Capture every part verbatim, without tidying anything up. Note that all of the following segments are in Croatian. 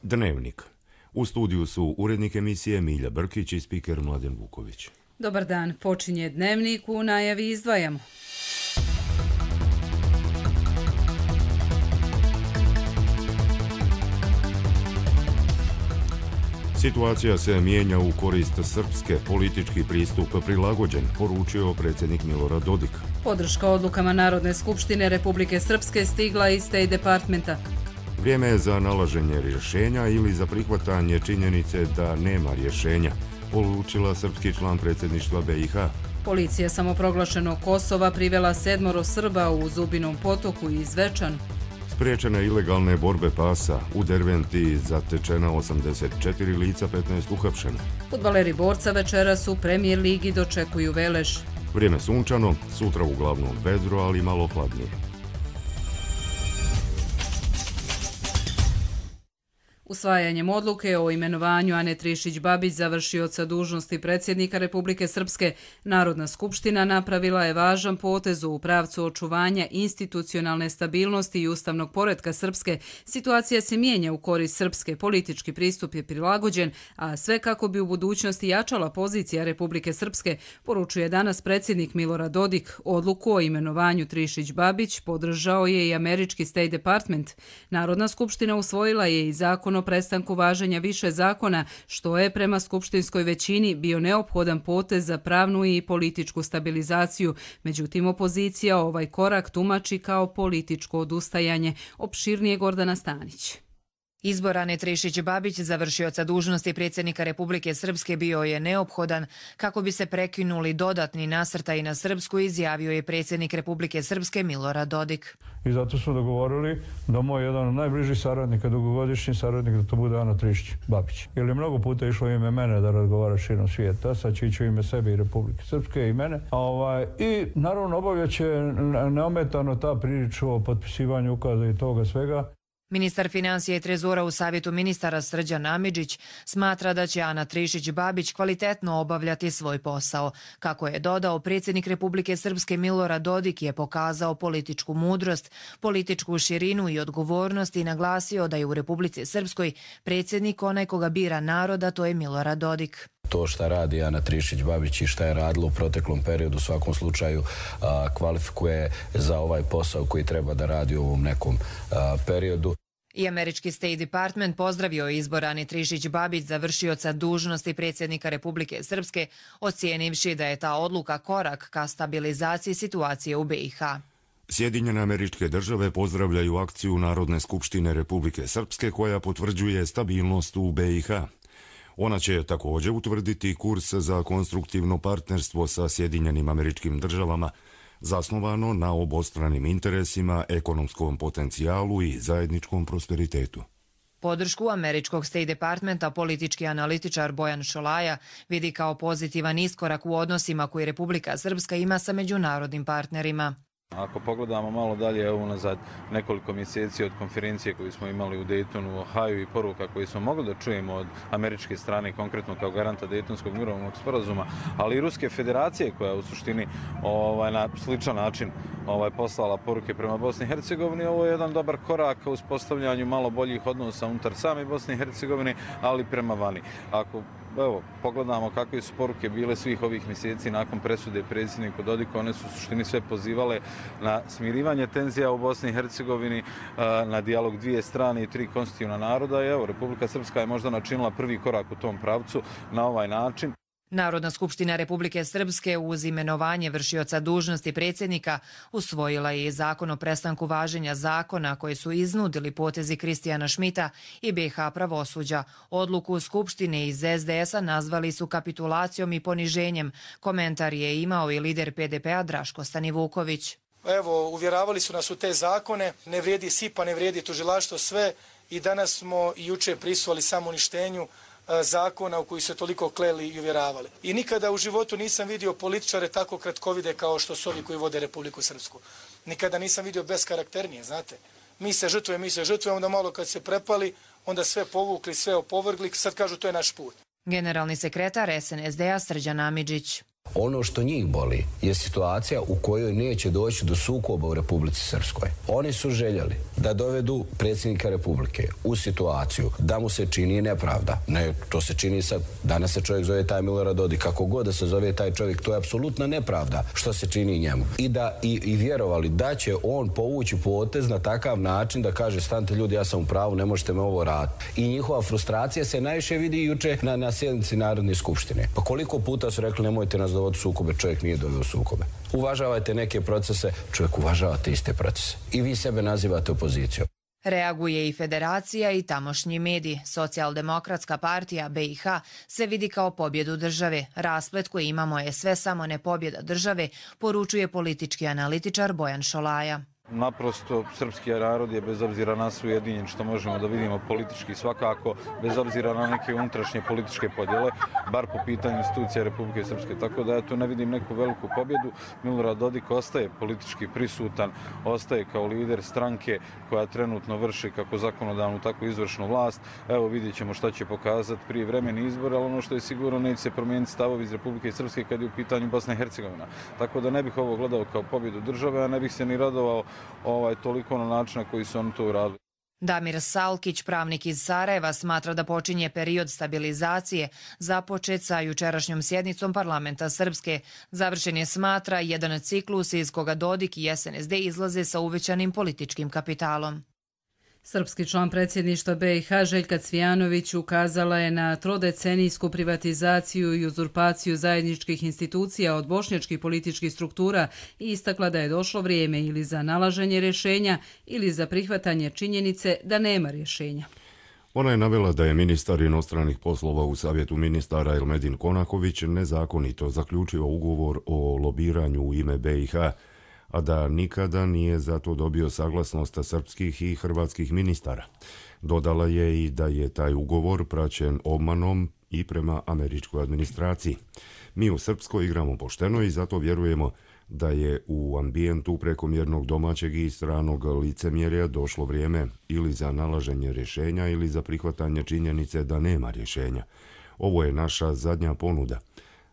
Dnevnik. U studiju su urednik emisije Milja Brkić i spiker Mladen Vuković. Dobar dan, počinje Dnevnik, u najavi izdvajamo. Situacija se mijenja u korist Srpske, politički pristup prilagođen, poručio predsjednik Milorad Dodik. Podrška odlukama Narodne skupštine Republike Srpske stigla iz State Departmenta. Vrijeme je za nalaženje rješenja ili za prihvatanje činjenice da nema rješenja, poručila srpski član predsjedništva B i H. Policija samoproglašenog Kosova privela sedmoro Srba u Zubinom potoku i Zvečanu. Spriječene ilegalne borbe pasa, u Derventi zatečena osamdeset četiri lica, petnaest uhapšeno. Fudbaleri Borca večeras u Premijer ligi dočekuju Veleš. Vrijeme sunčano, sutra uglavnom vedro, ali malo hladnije. Usvajanjem odluke o imenovanju Ane Trišić-Babić završioca dužnosti predsjednika Republike Srpske, Narodna skupština napravila je važan potez u pravcu očuvanja institucionalne stabilnosti i ustavnog poretka Srpske. Situacija se mijenja u korist Srpske, politički pristup je prilagođen, a sve kako bi u budućnosti jačala pozicija Republike Srpske, poručuje danas predsjednik Milorad Dodik. Odluku o imenovanju Trišić-Babić podržao je i američki State Department. Narodna skupština usvojila je i zakon o prestanku važenja više zakona, što je prema skupštinskoj većini bio neophodan potez za pravnu i političku stabilizaciju. Međutim, opozicija ovaj korak tumači kao političko odustajanje. Opširnije Gordana Stanić. Izbor Ane Trišić-Babić, završioca dužnosti predsjednika Republike Srpske, bio je neophodan kako bi se prekinuli dodatni nasrtaji na Srpsku, izjavio je predsjednik Republike Srpske Milorad Dodik. I zato smo dogovorili da moj jedan od najbližih saradnika, dugogodišnji saradnik, da to bude Ana Trišić-Babić. Jer je mnogo puta išlo ime mene da razgovara širom svijeta, sad će ići u ime sebe i Republike Srpske i mene. A ovaj, I naravno obavljat će neometano ta priča o potpisivanju ukaza i toga svega. Ministar financija i trezora u Savjetu ministara Srđan Amidžić smatra da će Ana Trišić-Babić kvalitetno obavljati svoj posao. Kako je dodao, predsjednik Republike Srpske Milorad Dodik je pokazao političku mudrost, političku širinu i odgovornost i naglasio da je u Republici Srpskoj predsjednik onaj koga bira naroda, to je Milorad Dodik. To šta radi Ana Trišić-Babić i šta je radila u proteklom periodu u svakom slučaju a, kvalifikuje za ovaj posao koji treba da radi u ovom nekom a, periodu. I američki State Department pozdravio je izbor Ane Trišić-Babić za vršioca dužnosti predsjednika Republike Srpske, ocijenivši da je ta odluka korak ka stabilizaciji situacije u B i H. Sjedinjene Američke Države pozdravljaju akciju Narodne skupštine Republike Srpske koja potvrđuje stabilnost u B i H. Ona će također utvrditi kurs za konstruktivno partnerstvo sa Sjedinjenim Američkim Državama, zasnovano na obostranim interesima, ekonomskom potencijalu i zajedničkom prosperitetu. Podršku američkog State Departmenta politički analitičar Bojan Šolaja vidi kao pozitivan iskorak u odnosima koji Republika Srpska ima sa međunarodnim partnerima. Ako pogledamo malo dalje, evo unazad nekoliko mjeseci od konferencije koju smo imali u Daytonu, u Ohaju i poruka koju smo mogli da čujemo od američke strane, konkretno kao garanta Daytonskog mirovnog sporazuma, ali i Ruske federacije koja u suštini ovaj, na sličan način ovaj, poslala poruke prema Bosni i Hercegovini. Ovo je jedan dobar korak u uspostavljanju malo boljih odnosa unutar same Bosne i Hercegovine, ali prema vani. Ako Evo, pogledamo kakve su poruke bile svih ovih mjeseci nakon presude predsjedniku Dodiku, one su u suštini sve pozivale na smirivanje tenzija u Bosni i Hercegovini, na dijalog dvije strane i tri konstitutivna naroda. I evo, Republika Srpska je možda načinila prvi korak u tom pravcu na ovaj način. Narodna skupština Republike Srpske uz imenovanje vršioca dužnosti predsjednika usvojila je zakon o prestanku važenja zakona koji su iznudili potezi Kristijana Šmita i B i H pravosuđa. Odluku Skupštine iz S D S-a nazvali su kapitulacijom i poniženjem. Komentar je imao i lider P D P-a Draško Stanivuković. Evo, uvjeravali su nas u te zakone, ne vrijedi SIPA, ne vrijedi tužilaštvo, sve, i danas smo i juče prisustvovali samouništenju zakona u koji se toliko kleli i uvjeravali. I nikada u životu nisam vidio političare tako kratkovide kao što su ovi koji vode Republiku Srpsku. Nikada nisam vidio bezkarakternije, znate. Mi se žrtvujemo, mi se žrtvujemo, onda malo kad se prepali, onda sve povukli, sve opovrgli, sad kažu to je naš put. Generalni sekretar S N S D-a Srđan Amidžić. Ono što njih boli je situacija u kojoj neće doći do sukoba u Republici Srpskoj. Oni su željeli da dovedu predsjednika Republike u situaciju da mu se čini nepravda. Ne, to se čini sad. Danas se čovjek zove taj Milorad Dodik. Kako god da se zove taj čovjek, to je apsolutna nepravda što se čini njemu. I da i, i vjerovali da će on povući potez na takav način da kaže stante ljudi, ja sam u pravu, ne možete me ovo raditi. I njihova frustracija se najviše vidi juče na, na sjednici Narodne skupštine. Pa koliko puta su rekli nemojte nas dovoditi sukobe, čovjek nije doveo sukobe. Uvažavajte neke procese, čovjek uvažavate iste procese. I vi sebe nazivate opozicijom. Reaguje i federacija i tamošnji mediji. Socijaldemokratska partija B i H se vidi kao pobjedu države. Rasplet koji imamo je sve samo ne pobjeda države, poručuje politički analitičar Bojan Šolaja. Naprosto, srpski narod je bez obzira na sve ujedinjen, što možemo da vidimo politički svakako, bez obzira na neke unutrašnje političke podjele, bar po pitanju institucija Republike Srpske. Tako da ja tu ne vidim neku veliku pobjedu. Milorad Dodik ostaje politički prisutan, ostaje kao lider stranke koja trenutno vrši kako zakonodavnu, tako i izvršnu vlast. Evo vidjet ćemo šta će pokazati prije vremeni izbora, ali ono što je sigurno neće se promijeniti stavovi iz Republike Srpske kad je u pitanju Bosna i Hercegovina. Tako da ne bih ovo gledao kao pobjedu države, a ne bih se ni radovao ovaj, toliko na način na koji su oni to uradili. Damir Salkić, pravnik iz Sarajeva, smatra da počinje period stabilizacije započet sa jučerašnjom sjednicom parlamenta Srpske. Završen je, smatra, jedan ciklus iz koga Dodik i S N S D izlaze sa uvećanim političkim kapitalom. Srpski član predsjedništva B i H Željka Cvijanović ukazala je na trodecenijsku privatizaciju i uzurpaciju zajedničkih institucija od bošnjačkih političkih struktura i istakla da je došlo vrijeme ili za nalaženje rješenja ili za prihvatanje činjenice da nema rješenja. Ona je navela da je ministar inostranih poslova u Savjetu ministara Elmedin Konaković nezakonito zaključio ugovor o lobiranju u ime B i H, a da nikada nije zato dobio saglasnost srpskih i hrvatskih ministara. Dodala je i da je taj ugovor praćen obmanom i prema američkoj administraciji. Mi u Srpskoj igramo pošteno i zato vjerujemo da je u ambijentu prekomjernog domaćeg i stranog licemjerja došlo vrijeme ili za nalaženje rješenja ili za prihvatanje činjenice da nema rješenja. Ovo je naša zadnja ponuda,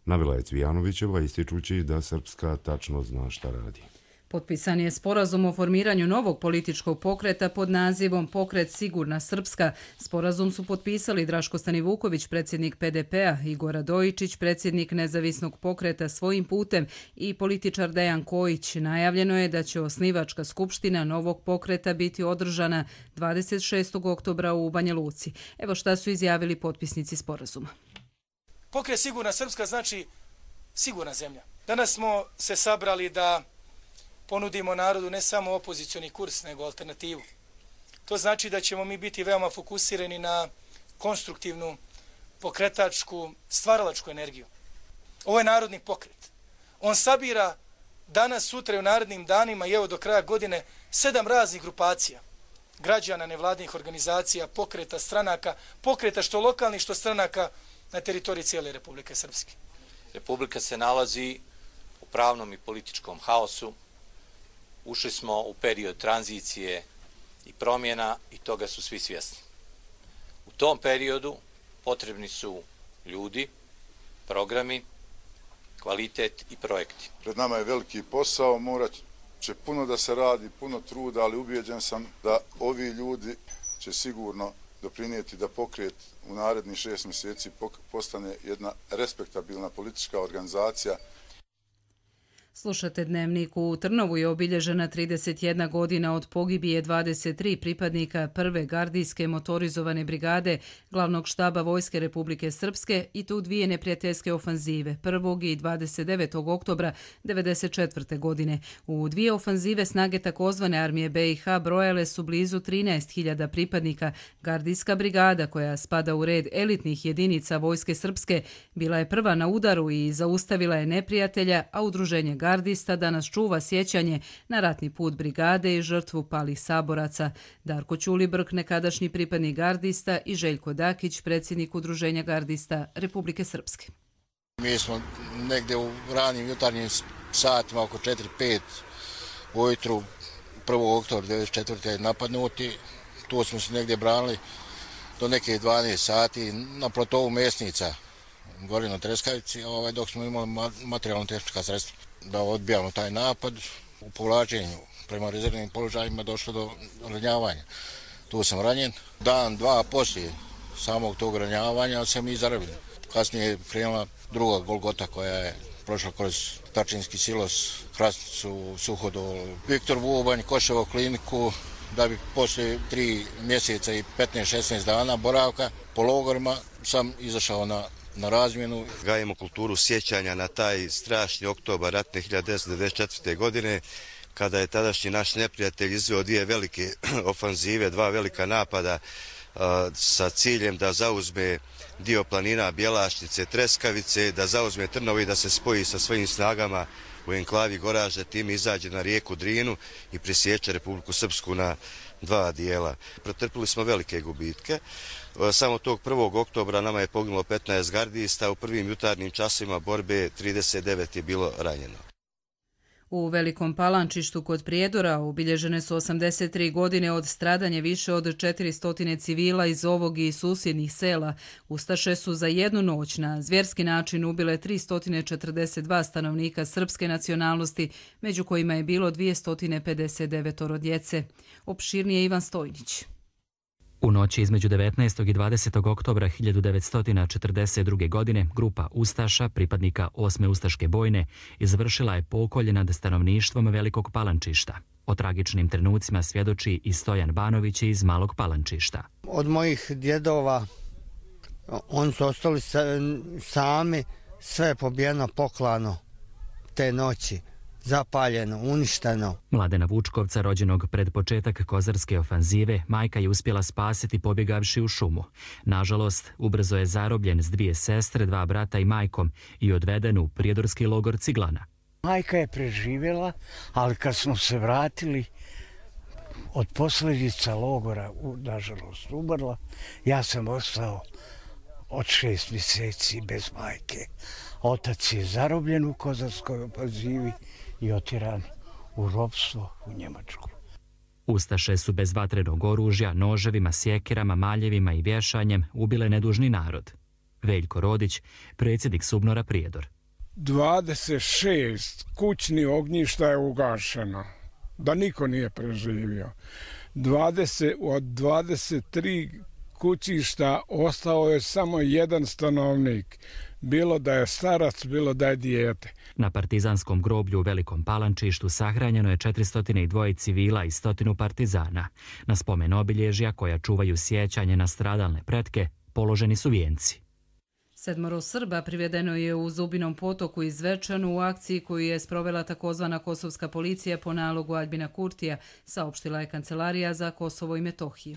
navela je Cvijanovićeva ističući da Srpska tačno zna šta radi. Potpisan je sporazum o formiranju novog političkog pokreta pod nazivom Pokret Sigurna Srpska. Sporazum su potpisali Draško Stanivuković, predsjednik P D P-a, Igor Radojičić, predsjednik Nezavisnog pokreta Svojim putem i političar Dejan Kojić. Najavljeno je da će osnivačka skupština novog pokreta biti održana dvadeset šestog oktobra u Banja Luci. Evo šta su izjavili potpisnici sporazuma. Pokret Sigurna Srpska znači sigurna zemlja. Danas smo se sabrali da ponudimo narodu ne samo opozicioni kurs, nego alternativu. To znači da ćemo mi biti veoma fokusirani na konstruktivnu, pokretačku, stvaralačku energiju. Ovo je narodni pokret. On sabira danas, sutra i u narednim danima i evo do kraja godine sedam raznih grupacija. Građana, nevladnih organizacija, pokreta, stranaka, pokreta što lokalnih, što stranaka na teritoriji cijele Republike Srpske. Republika se nalazi u pravnom i političkom haosu. Ušli smo u period tranzicije i promjena i toga su svi svjesni. U tom periodu potrebni su ljudi, programi, kvalitet i projekti. Pred nama je veliki posao, morat će puno da se radi, puno truda, ali ubijeđen sam da ovi ljudi će sigurno doprinijeti da pokret u narednih šest mjeseci postane jedna respektabilna politička organizacija. Slušate Dnevnik. U Trnovu je obilježena trideset jedna godina od pogibije dvadeset tri pripadnika prve gardijske motorizovane brigade glavnog štaba Vojske Republike Srpske i tu dvije neprijateljske ofanzive prvog i dvadeset devetog oktobra devedeset četvrte godine. U dvije ofanzive snage takozvane armije B i H brojale su blizu trinaest hiljada pripadnika. Gardijska brigada, koja spada u red elitnih jedinica Vojske Srpske, bila je prva na udaru i zaustavila je neprijatelja, a udruženje gardista danas čuva sjećanje na ratni put brigade i žrtvu palih saboraca. Darko Ćulibrk, nekadašnji pripadnik gardista, i Željko Dakić, predsjednik udruženja gardista Republike Srpske. Mi smo negdje u ranim jutarnjim satima, oko četiri pet ujutru, prvog oktobra devedeset četvrte napadnuti. Tu smo se negdje branili do neke dvanaest sati na platovu Mesnica. gore na Treskavici, ovaj, dok smo imali materijalno-tehnička sredstva da odbijamo taj napad. U povlačenju prema rezervnim položajima došlo do ranjavanja. Tu sam ranjen. Dan, dva poslije samog tog ranjavanja se mi zarabili. Kasnije je krenula druga Golgota koja je prošla kroz Tačinski silos, Hrastnicu, Suhodol, Viktor Vubanj, Koševo kliniku, da bi poslije tri mjeseca i petnaest šesnaest dana boravka po logorima sam izašao na, na razmjenu. Gajimo kulturu sjećanja na taj strašni oktobar ratne hiljade devetsto devedeset četvrte. godine, kada je tadašnji naš neprijatelj izveo dvije velike ofanzive, dva velika napada a, sa ciljem da zauzme dio planina Bjelašnice, Treskavice, da zauzme Trnovo i da se spoji sa svojim snagama u enklavi Goražde, tim izađe na rijeku Drinu i presječe Republiku Srpsku na dva dijela. Pretrpili smo velike gubitke. Samo tog prvog oktobra nama je poginulo petnaest gardista, u prvim jutarnjim časima borbe trideset devet je bilo ranjeno. U Velikom Palančištu kod Prijedora obilježene su osamdeset tri godine od stradanja više od četiristo civila iz ovog i susjednih sela. Ustaše su za jednu noć na zvjerski način ubile tristo četrdeset dva stanovnika srpske nacionalnosti, među kojima je bilo dvjesto pedeset devet djece. Opširnije Ivan Stojnić. U noći između devetnaestog i dvadesetog oktobra hiljadu devetsto četrdeset druge. godine grupa ustaša, pripadnika osme ustaške bojne, izvršila je pokolje nad stanovništvom Velikog Palančišta. O tragičnim trenucima svjedoči i Stojan Banović iz Malog Palančišta. Od mojih djedova oni su ostali sami, sve je pobijeno, poklano te noći. Zapaljeno, uništeno. Mladena Vučkovca, rođenog pred početak kozarske ofanzive, majka je uspjela spasiti pobjegavši u šumu. Nažalost, ubrzo je zarobljen s dvije sestre, dva brata i majkom i odveden u prijedorski logor Ciglana. Majka je preživjela, ali kad smo se vratili od posljedica logora, nažalost, umrla, ja sam ostao od šest mjeseci bez majke. Otac je zarobljen u kozarskoj ofanzivi i otjeran u ropstvo u Njemačku. Ustaše su bez vatrenog oružja, noževima, sjekirama, maljevima i vješanjem ubile nedužni narod. Veljko Rodić, predsjednik Subnora Prijedor. dvadeset šest kućnih ognjišta je ugašeno, da niko nije preživio. dvadeset, od dvadeset tri kućišta ostao je samo jedan stanovnik, bilo da je starac, bilo da je dijete. Na partizanskom groblju u Velikom Palančištu sahranjeno je četiristo dva civila i stotinu partizana. Na spomen obilježja koja čuvaju sjećanje na stradalne pretke položeni su vijenci. Sedmoro Srba privedeno je u Zubinom potoku iz Zvečanu u akciji koju je sprovela takozvana kosovska policija po nalogu Aljbina Kurtija, saopštila je Kancelarija za Kosovo i Metohiju.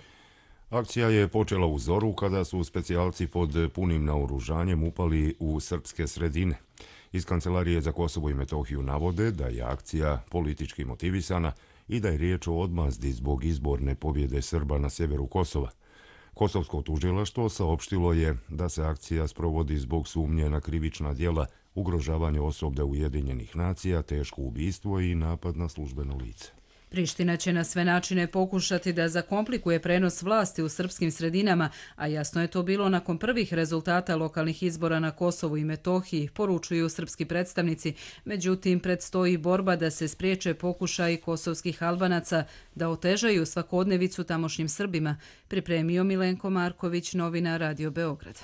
Akcija je počela u zoru kada su specijalci pod punim naoružanjem upali u srpske sredine. Iz Kancelarije za Kosovo i Metohiju navode da je akcija politički motivisana i da je riječ o odmazdi zbog izborne pobjede Srba na sjeveru Kosova. Kosovsko tužilaštvo saopštilo je da se akcija sprovodi zbog sumnje na krivična djela, ugrožavanje osoblja Ujedinjenih nacija, teško ubistvo i napad na službeno lice. Priština će na sve načine pokušati da zakomplikuje prenos vlasti u srpskim sredinama, a jasno je to bilo nakon prvih rezultata lokalnih izbora na Kosovu i Metohiji, poručuju srpski predstavnici. Međutim, predstoji borba da se spriječe pokušaji kosovskih Albanaca da otežaju svakodnevicu tamošnjim Srbima, pripremio Milenko Marković, novinar Radio Beograda.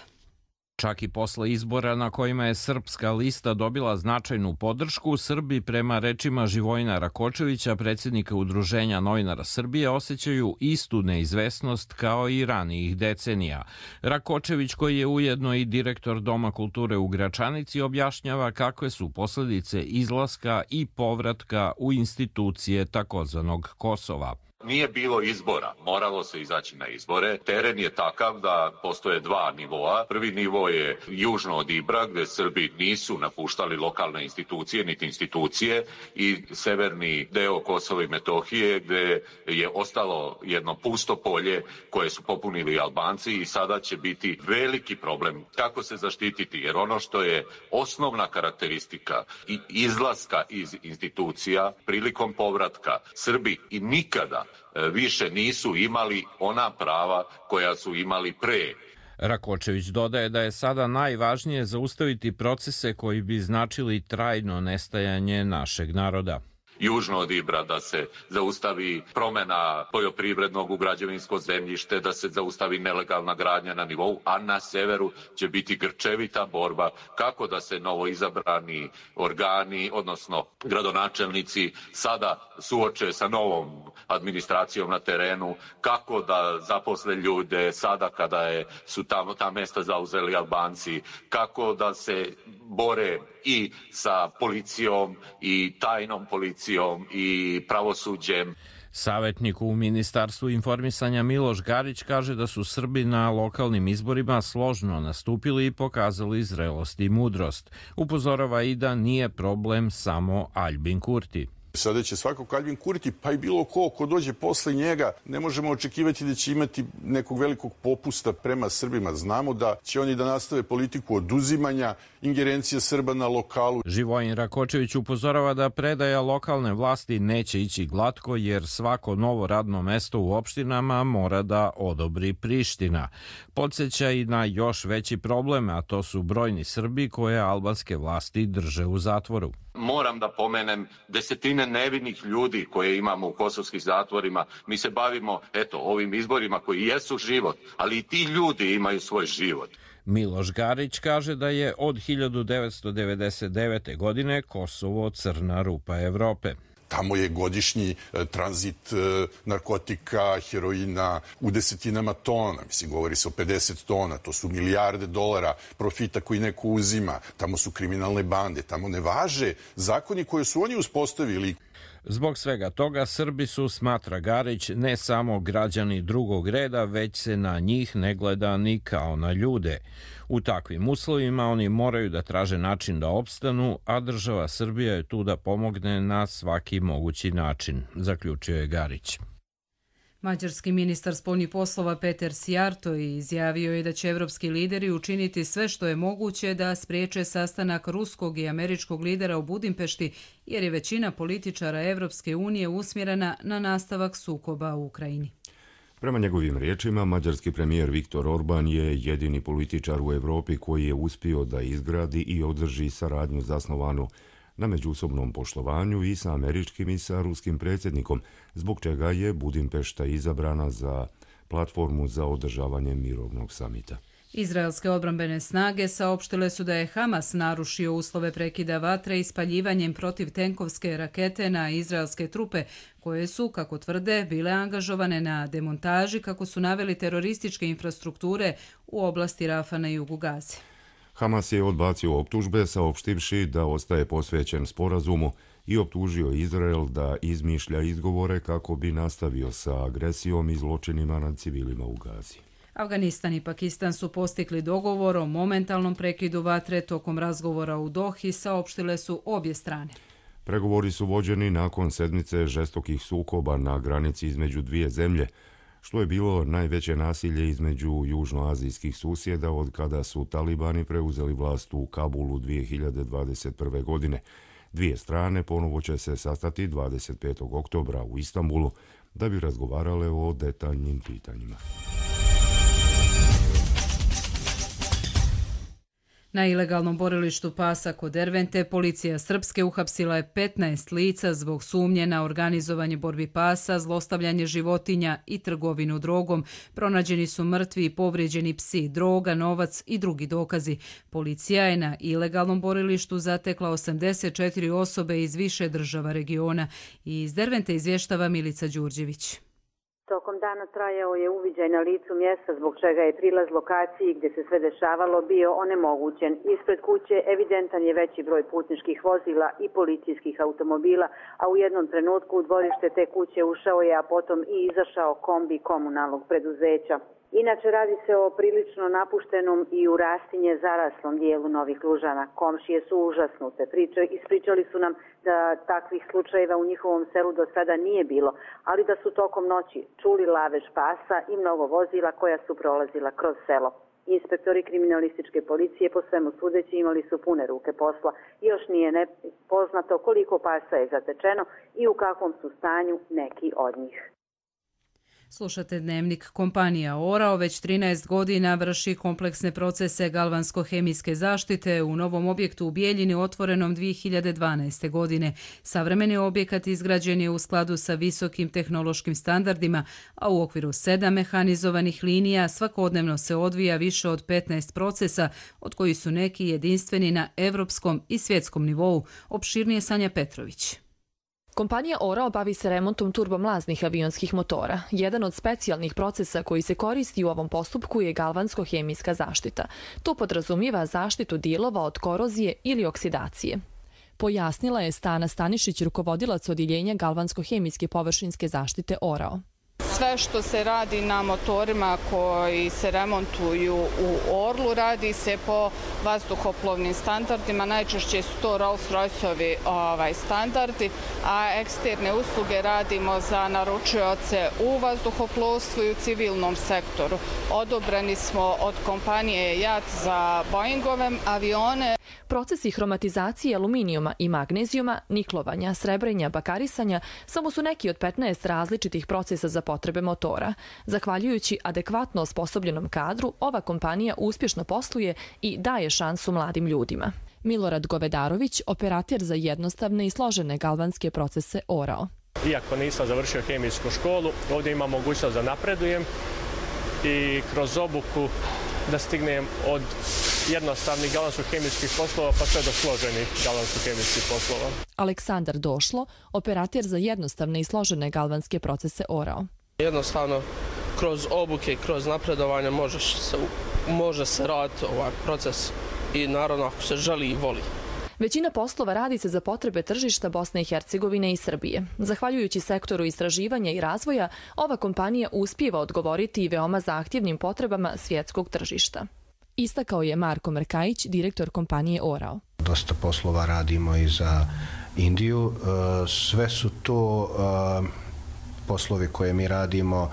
Čak i posle izbora na kojima je srpska lista dobila značajnu podršku, Srbi, prema rečima Živojina Rakočevića, predsjednika Udruženja novinara Srbije, osjećaju istu neizvesnost kao i ranijih decenija. Rakočević, koji je ujedno i direktor Doma kulture u Gračanici, objašnjava kakve su posljedice izlaska i povratka u institucije takozvanog Kosova. Nije bilo izbora, moralo se izaći na izbore. Teren je takav da postoje dva nivoa. Prvi nivo je južno od Ibra, gdje Srbi nisu napuštali lokalne institucije, niti institucije, i severni deo Kosova i Metohije, gdje je ostalo jedno pusto polje koje su popunili Albanci i sada će biti veliki problem kako se zaštititi, jer ono što je osnovna karakteristika i izlaska iz institucija prilikom povratka, Srbi i nikada više nisu imali ona prava koja su imali pre. Rakočević dodaje da je sada najvažnije zaustaviti procese koji bi značili trajno nestajanje našeg naroda. Južno od Ibra da se zaustavi promjena poljoprivrednog u građevinsko zemljište, da se zaustavi nelegalna gradnja na nivou, a na severu će biti grčevita borba kako da se novoizabrani organi, odnosno gradonačelnici, sada suoče sa novom administracijom na terenu, kako da zaposle ljude sada kada je, su tamo ta mesta zauzeli Albanci, kako da se bore i sa policijom i tajnom policijom i pravosuđem. Savetnik u Ministarstvu informisanja Miloš Garić kaže da su Srbi na lokalnim izborima složno nastupili i pokazali zrelost i mudrost. Upozorava i da nije problem samo Aljbin Kurti. Sada će svakako Aljbin Kurti, pa i bilo ko ko dođe posle njega, ne možemo očekivati da će imati nekog velikog popusta prema Srbima. Znamo da će oni da nastave politiku oduzimanja ingerencije Srba na lokalu. Živojin Rakočević upozorava da predaja lokalne vlasti neće ići glatko jer svako novo radno mesto u opštinama mora da odobri Priština. Podsjeća i na još veći problem, a to su brojni Srbi koje albanske vlasti drže u zatvoru. Moram da pomenem desetine nevinih ljudi koje imamo u kosovskih zatvorima. Mi se bavimo, eto, ovim izborima koji jesu život, ali i ti ljudi imaju svoj život. Miloš Garić kaže da je od hiljadu devetsto devedeset devete. godine Kosovo crna rupa Evrope. Tamo je godišnji tranzit narkotika, heroina u desetinama tona. Mislim, govori se o pedeset tona. To su milijarde dolara profita koji neko uzima. Tamo su kriminalne bande. Tamo ne važe zakoni koje su oni uspostavili. Zbog svega toga Srbi su, smatra Garić, ne samo građani drugog reda, već se na njih ne gleda ni kao na ljude. U takvim uslovima oni moraju da traže način da opstanu, a država Srbija je tu da pomogne na svaki mogući način, zaključio je Garić. Mađarski ministar spoljnih poslova Peter Sijarto izjavio je da će evropski lideri učiniti sve što je moguće da spriječe sastanak ruskog i američkog lidera u Budimpešti, jer je većina političara Evropske unije usmjerena na nastavak sukoba u Ukrajini. Prema njegovim riječima, mađarski premijer Viktor Orban je jedini političar u Evropi koji je uspio da izgradi i održi saradnju zasnovanu na međusobnom poštovanju i sa američkim i sa ruskim predsjednikom, zbog čega je Budimpešta izabrana za platformu za održavanje mirovnog samita. Izraelske odbrambene snage saopštile su da je Hamas narušio uslove prekida vatre ispaljivanjem protivtenkovske rakete na izraelske trupe, koje su, kako tvrde, bile angažovane na demontaži, kako su naveli, terorističke infrastrukture u oblasti Rafa na jugu Gaze. Hamas je odbacio optužbe, saopštivši da ostaje posvećen sporazumu i optužio Izrael da izmišlja izgovore kako bi nastavio sa agresijom i zločinima nad civilima u Gazi. Afganistan i Pakistan su postigli dogovor o momentalnom prekidu vatre tokom razgovora u Dohi, saopštile su obje strane. Pregovori su vođeni nakon sedmice žestokih sukoba na granici između dvije zemlje, što je bilo najveće nasilje između južnoazijskih susjeda od kada su talibani preuzeli vlast u Kabulu dvije hiljade dvadeset prve. godine. Dvije strane ponovo će se sastati dvadeset petog oktobra u Istanbulu da bi razgovarale o detaljnim pitanjima. Na ilegalnom borilištu pasa kod Dervente policija Srpske uhapsila je petnaest lica zbog sumnje na organizovanje borbi pasa, zlostavljanje životinja i trgovinu drogom. Pronađeni su mrtvi i povrijeđeni psi, droga, novac i drugi dokazi. Policija je na ilegalnom borilištu zatekla osamdeset četiri osobe iz više država regiona. I iz Dervente izvještava Milica Đurđević. Tokom dana trajao je uviđaj na licu mjesta, zbog čega je prilaz lokaciji gdje se sve dešavalo bio onemogućen. Ispred kuće evidentan je veći broj putničkih vozila i policijskih automobila, a u jednom trenutku u dvorište te kuće ušao je, a potom i izašao kombi komunalnog preduzeća. Inače, radi se o prilično napuštenom i u rastinje zaraslom dijelu Novih Lužana. Komšije su užasnute. Priče, ispričali su nam da takvih slučajeva u njihovom selu do sada nije bilo, ali da su tokom noći čuli lavež pasa i mnogo vozila koja su prolazila kroz selo. Inspektori kriminalističke policije po svemu sudeći imali su pune ruke posla. Još nije poznato koliko pasa je zatečeno i u kakvom su stanju neki od njih. Slušate Dnevnik. Kompanija Orao već trinaest godina vrši kompleksne procese galvansko-hemijske zaštite u novom objektu u Bijeljini otvorenom dvije hiljade dvanaeste. godine. Savremeni objekat izgrađen je u skladu sa visokim tehnološkim standardima, a u okviru sedam mehanizovanih linija svakodnevno se odvija više od petnaest procesa, od kojih su neki jedinstveni na evropskom i svjetskom nivou. Opširnije Sanja Petrović. Kompanija Orao bavi se remontom turbomlaznih avionskih motora. Jedan od specijalnih procesa koji se koristi u ovom postupku je galvansko-hemijska zaštita. To podrazumijeva zaštitu dijelova od korozije ili oksidacije. Pojasnila je Stana Stanišić, rukovodilac odjeljenja galvansko-hemijske površinske zaštite Orao. Sve što se radi na motorima koji se remontuju u Orlu radi se po vazduhoplovnim standardima. Najčešće su to Rolls-Royce-ovi ovaj, standardi, a eksterne usluge radimo za naručioce u vazduhoplovstvu i u civilnom sektoru. Odobreni smo od kompanije J A T za Boeingove avione. Procesi hromatizacije aluminijuma i magnezijuma, niklovanja, srebrenja, bakarisanja samo su neki od petnaest različitih procesa za potrebe motora. Zahvaljujući adekvatno osposobljenom kadru, ova kompanija uspješno posluje i daje šansu mladim ljudima. Milorad Govedarović, operater za jednostavne i složene galvanske procese Orao. Iako nisam završio hemijsku školu, ovdje imam mogućnost da napredujem i kroz obuku da stignem od jednostavnih galvansko-hemijskih poslova pa sve do složenih galvansko-hemijskih poslova. Aleksandar Došlo, operater za jednostavne i složene galvanske procese Orao. Jednostavno, kroz obuke, kroz napredovanje možeš se, može se raditi ovaj proces i naravno ako se želi i voli. Većina poslova radi se za potrebe tržišta Bosne i Hercegovine i Srbije. Zahvaljujući sektoru istraživanja i razvoja, ova kompanija uspijeva odgovoriti i veoma zahtjevnim potrebama svjetskog tržišta. Istakao je Marko Mrkajić, direktor kompanije Orao. Dosta poslova radimo i za Indiju. Sve su to poslovi koje mi radimo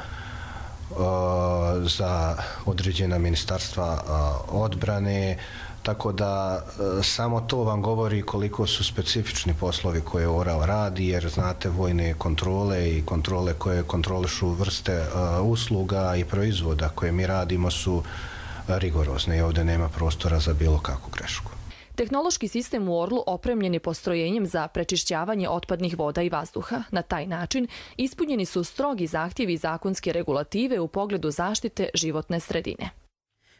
za određena ministarstva odbrane, tako da samo to vam govori koliko su specifični poslovi koje Orao radi, jer znate vojne kontrole i kontrole koje kontrolišu vrste usluga i proizvoda koje mi radimo su rigorozne i ovdje nema prostora za bilo kakvu grešku. Tehnološki sistem u Orlu opremljen je postrojenjem za prečišćavanje otpadnih voda i vazduha. Na taj način ispunjeni su strogi zahtjevi zakonske regulative u pogledu zaštite životne sredine.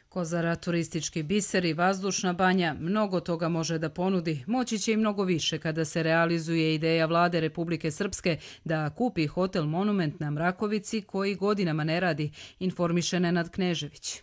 Kozara, turistički biser i vazdušna banja mnogo toga može da ponudi. Moći će i mnogo više kada se realizuje ideja vlade Republike Srpske da kupi hotel Monument na Mrakovici koji godinama ne radi, informiše Nenad Knežević.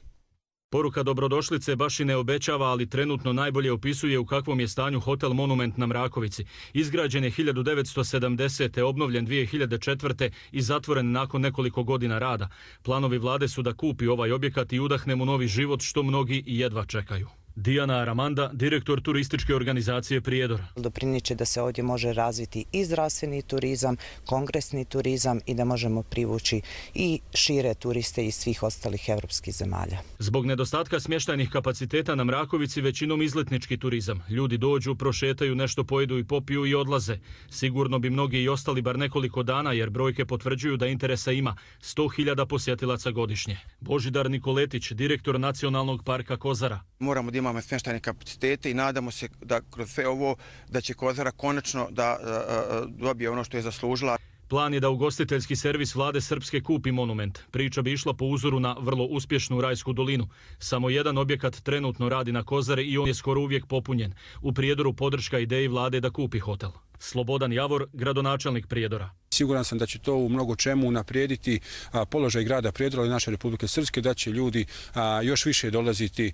Poruka dobrodošlice baš i ne obećava, ali trenutno najbolje opisuje u kakvom je stanju hotel Monument na Mrakovici. Izgrađen je hiljadu devetsto sedamdesete. obnovljen dvije hiljade četvrte. i zatvoren nakon nekoliko godina rada. Planovi vlade su da kupi ovaj objekat i udahne mu novi život, što mnogi jedva čekaju. Dijana Aramanda, direktor turističke organizacije Prijedor. Dopriniče da se ovdje može razviti i zdravstveni turizam, kongresni turizam i da možemo privući i šire turiste iz svih ostalih evropskih zemalja. Zbog nedostatka smještajnih kapaciteta na Mrakovici većinom izletnički turizam. Ljudi dođu, prošetaju, nešto pojedu i popiju i odlaze. Sigurno bi mnogi i ostali bar nekoliko dana jer brojke potvrđuju da interesa ima sto hiljada posjetilaca godišnje. Božidar Nikoletić, direktor Nacionalnog parka Kozara. Moramo da imamo smještajne kapacitete i nadamo se da kroz sve ovo da će Kozara konačno da dobije ono što je zaslužila. Plan je da ugostiteljski servis vlade Srpske kupi Monument. Priča bi išla po uzoru na vrlo uspješnu Rajsku dolinu. Samo jedan objekat trenutno radi na Kozari i on je skoro uvijek popunjen. U Prijedoru podrška ideji vlade da kupi hotel. Slobodan Javor, gradonačelnik Prijedora. Siguran sam da će to u mnogo čemu unaprijediti položaj grada Prijedora i naše Republike Srpske, da će ljudi još više dolaziti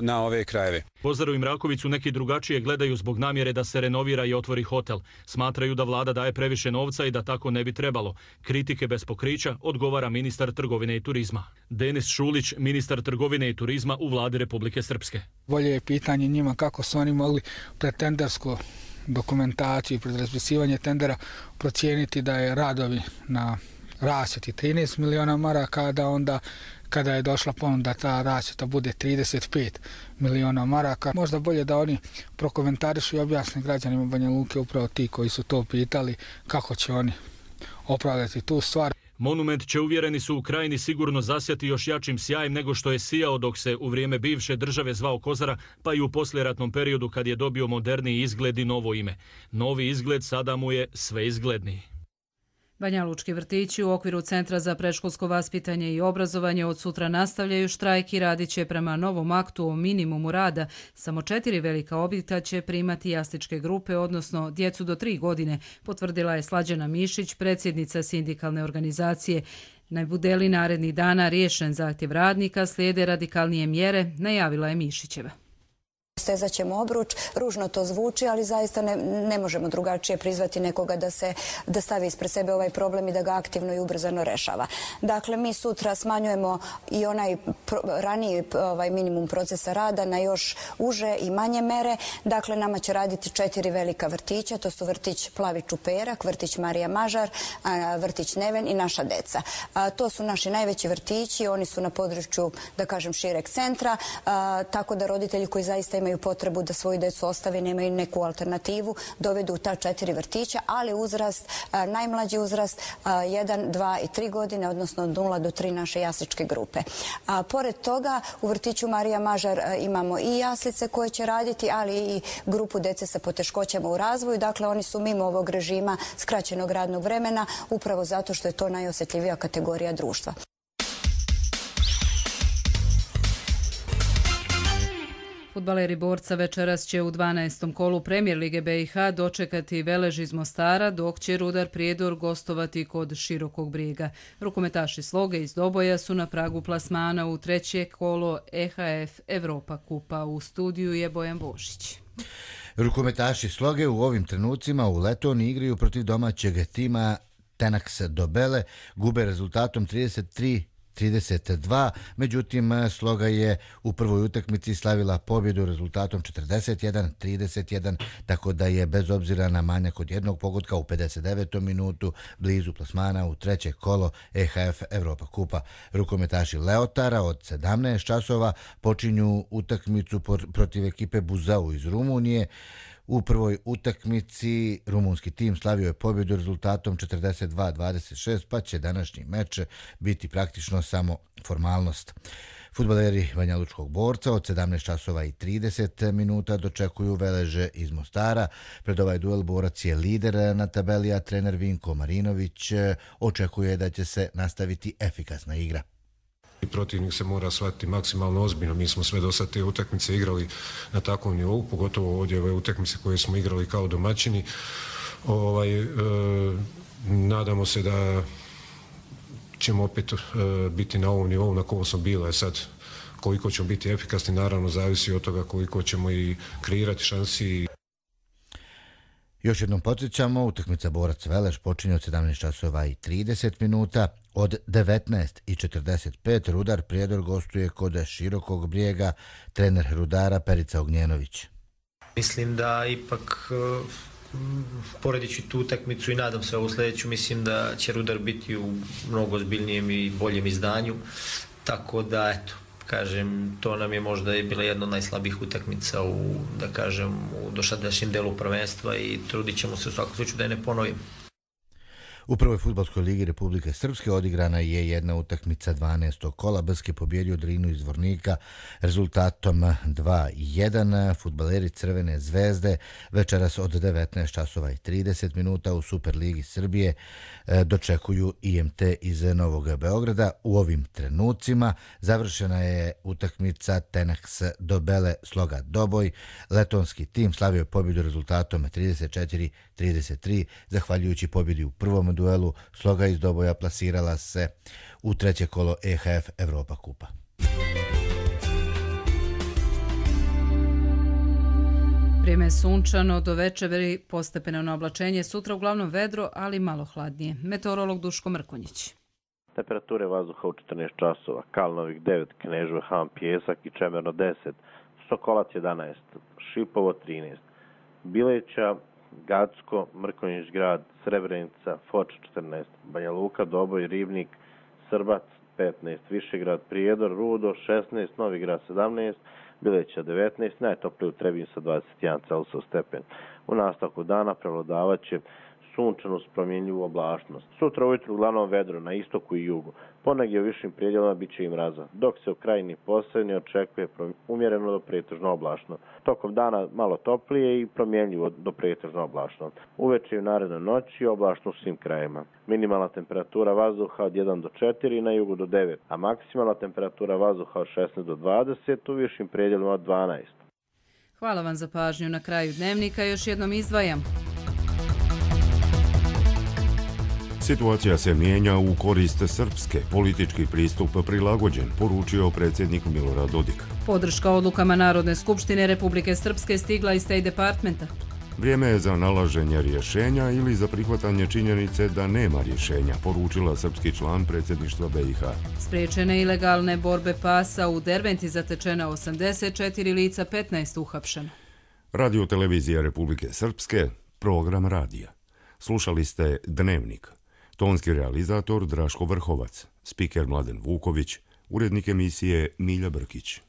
na ove krajeve. Kozaru i Mrakovicu neki drugačije gledaju zbog namjere da se renovira i otvori hotel. Smatraju da vlada daje previše novca i da tako ne bi trebalo. Kritike bez pokrića odgovara ministar trgovine i turizma. Denis Šulić, ministar trgovine i turizma u vladi Republike Srpske. Bolje je pitanje njima kako su oni mogli pretendersko dokumentaciju i pred raspisivanje tendera procijeniti da je radovi na rasvjeti trinaest miliona maraka, da onda kada je došla ponuda ta rasvjeta bude trideset pet miliona maraka. Možda bolje da oni prokomentarišu i objasne građanima Banja Luke, upravo ti koji su to pitali, kako će oni opravdati tu stvar. Monument će, uvjereni su, u Krajini sigurno zasjati još jačim sjajem nego što je sijao dok se u vrijeme bivše države zvao Kozara, pa i u poslijeratnom periodu kad je dobio moderniji izgled i novo ime. Novi izgled sada mu je sve izgledniji. Banjalučki vrtići u okviru Centra za predškolsko vaspitanje i obrazovanje od sutra nastavljaju štrajk i radit će prema novom aktu o minimumu rada. Samo četiri velika objekta će primati jasličke grupe, odnosno djecu do tri godine, potvrdila je Slađana Mišić, predsjednica sindikalne organizacije. Ne bude li narednih dana riješen zahtjev radnika, slijede radikalnije mjere, najavila je Mišićeva. Stezat ćemo obruč, ružno to zvuči, ali zaista ne, ne možemo drugačije prizvati nekoga da se da stavi ispred sebe ovaj problem i da ga aktivno i ubrzano rešava. Dakle, mi sutra smanjujemo i onaj pro, raniji ovaj minimum procesa rada na još uže i manje mere. Dakle, nama će raditi četiri velika vrtića, to su vrtić Plavi Čuperak, vrtić Marija Mažar, vrtić Neven i naša deca. A, to su naši najveći vrtići, oni su na području, da kažem, šireg centra, a, tako da roditelji koji zaista imaju imaju potrebu da svoju decu ostave, nemaju neku alternativu, dovedu u ta četiri vrtića, ali uzrast, najmlađi uzrast, jedan, dva i tri godine, odnosno od nula do tri naše jasličke grupe. A, pored toga, u vrtiću Marija Mažar imamo i jaslice koje će raditi, ali i grupu dece sa poteškoćama u razvoju. Dakle, oni su mimo ovog režima skraćenog radnog vremena, upravo zato što je to najosjetljivija kategorija društva. Fudbaleri Borca večeras će u dvanaestom kolu Premijer Lige B i H dočekati Velež iz Mostara, dok će Rudar Prijedor gostovati kod Širokog Brijega. Rukometaši Sloge iz Doboja su na pragu plasmana u treće kolo E H F Evropa kupa. U studiju je Bojan Božić. Rukometaši Sloge u ovim trenucima u Letoniji igraju protiv domaćeg tima Tenax Dobele, gube rezultatom trideset tri trideset dva, međutim Sloga je u prvoj utakmici slavila pobjedu rezultatom četrdeset jedan trideset jedan, tako da je bez obzira na manjak od jednog pogotka u pedeset devetom minutu blizu plasmana u treće kolo E H F Evropa kupa. Rukometaši Leotara od sedamnaest časova počinju utakmicu protiv ekipe Buzau iz Rumunije. U prvoj utakmici rumunski tim slavio je pobjedu rezultatom četrdeset dva dvadeset šest, pa će današnji meč biti praktično samo formalnost. Fudbaleri Banjalučkog Borca od sedamnaest časova i trideset minuta dočekuju Veleže iz Mostara. Pred ovaj duel Borac je lider na tabeli, a trener Vinko Marinović očekuje da će se nastaviti efikasna igra. Protivnik se mora shvatiti maksimalno ozbiljno. Mi smo sve do sad te utakmice igrali na takvom nivou, pogotovo ovdje ove utakmice koje smo igrali kao domaćini. Ovaj, e, nadamo se da ćemo opet e, biti na ovom nivou na kojem smo bili. Sad, koliko ćemo biti efikasni, naravno zavisi od toga koliko ćemo i kreirati šansi. Još jednom podsjećamo, utakmica Borac Velež počinje od sedamnaest časova i trideset minuta. Od devetnaest i četrdeset pet Rudar Prijedor gostuje kod Širokog Brijega, trener Rudara Perica Ognjenović. Mislim da ipak, poredeći tu utakmicu i nadam se ovu sljedeću, mislim da će Rudar biti u mnogo ozbiljnijem i boljem izdanju, tako da eto, kažem, to nam je možda i bila jedna od najslabijih utakmica u, da kažem, u dosadašnjem delu prvenstva i trudit ćemo se u svakom slučaju da je ne ponovimo. U prvoj fudbalskoj ligi Republike Srpske odigrana je jedna utakmica dvanaestog kola. Brsk je pobjedio Drinu iz Zvornika rezultatom dva jedan. Fudbaleri Crvene zvezde večeras od devetnaest časova i trideset minuta u Superligi Srbije dočekuju I M T iz Novog Beograda. U ovim trenucima završena je utakmica Tenax Dobele Sloga Doboj. Letonski tim slavio je pobjedu rezultatom trideset četiri trideset tri. Zahvaljujući pobjedi u prvom duelu, Sloga iz Doboja plasirala se u treće kolo E H F Evropa kupa. Vrijeme je sunčano, do večeri postepeno oblačenje, sutra uglavnom vedro, ali malo hladnije. Meteorolog Duško Mrkonjić. Temperature vazduha u četrnaest časova, Kalnovik devet, Kneževo Han, Pjesak i Čemerno deset, Sokolac jedanaest, Šipovo trinaest, Bileća, Gacko, Mrkonjić grad, Srebrenica, Foč četrnaest, Banja Luka, Doboj, Ribnik, Srbac petnaest, Višegrad, Prijedor, Rudo šesnaest, Novi Grad sedamnaest, Bileća devetnaest, najtoplije u Trebinju sa dvadeset jedan Celsius stepen. U nastavku dana prevladavaće sunčanu s promjenljivu oblačnost. Sutra ujutru uglavnom vedro na istoku i jugu. Ponegdje u višim predjelima bit će i mraza, dok se u krajini posebni očekuje umjereno do pretežno oblačno. Tokom dana malo toplije i promjenljivo do pretežno oblačno. Uveče i u narednoj noći oblačno u svim krajima. Minimalna temperatura vazduha od jedan do četiri, na jugu do devet, a maksimalna temperatura vazduha od šesnaest do dvadeset, u višim predjelima od dvanaest. Hvala vam za pažnju. Na kraju dnevnika još jednom izdvajam. Situacija se mijenja u korist Srpske, politički pristup prilagođen, poručio predsjednik Milorad Dodik. Podrška odlukama Narodne skupštine Republike Srpske stigla iz State Departmenta. Vrijeme je za nalaženje rješenja ili za prihvatanje činjenice da nema rješenja, poručila srpski član predsjedništva B i H. Spriječene ilegalne borbe pasa u Derventi zatečena osamdeset četiri lica, petnaest uhapšeno. Radio televizija Republike Srpske, program radija. Slušali ste Dnevnik. Tonski realizator Draško Vrhovac, spiker Mladen Vuković, urednik emisije Milja Brkić.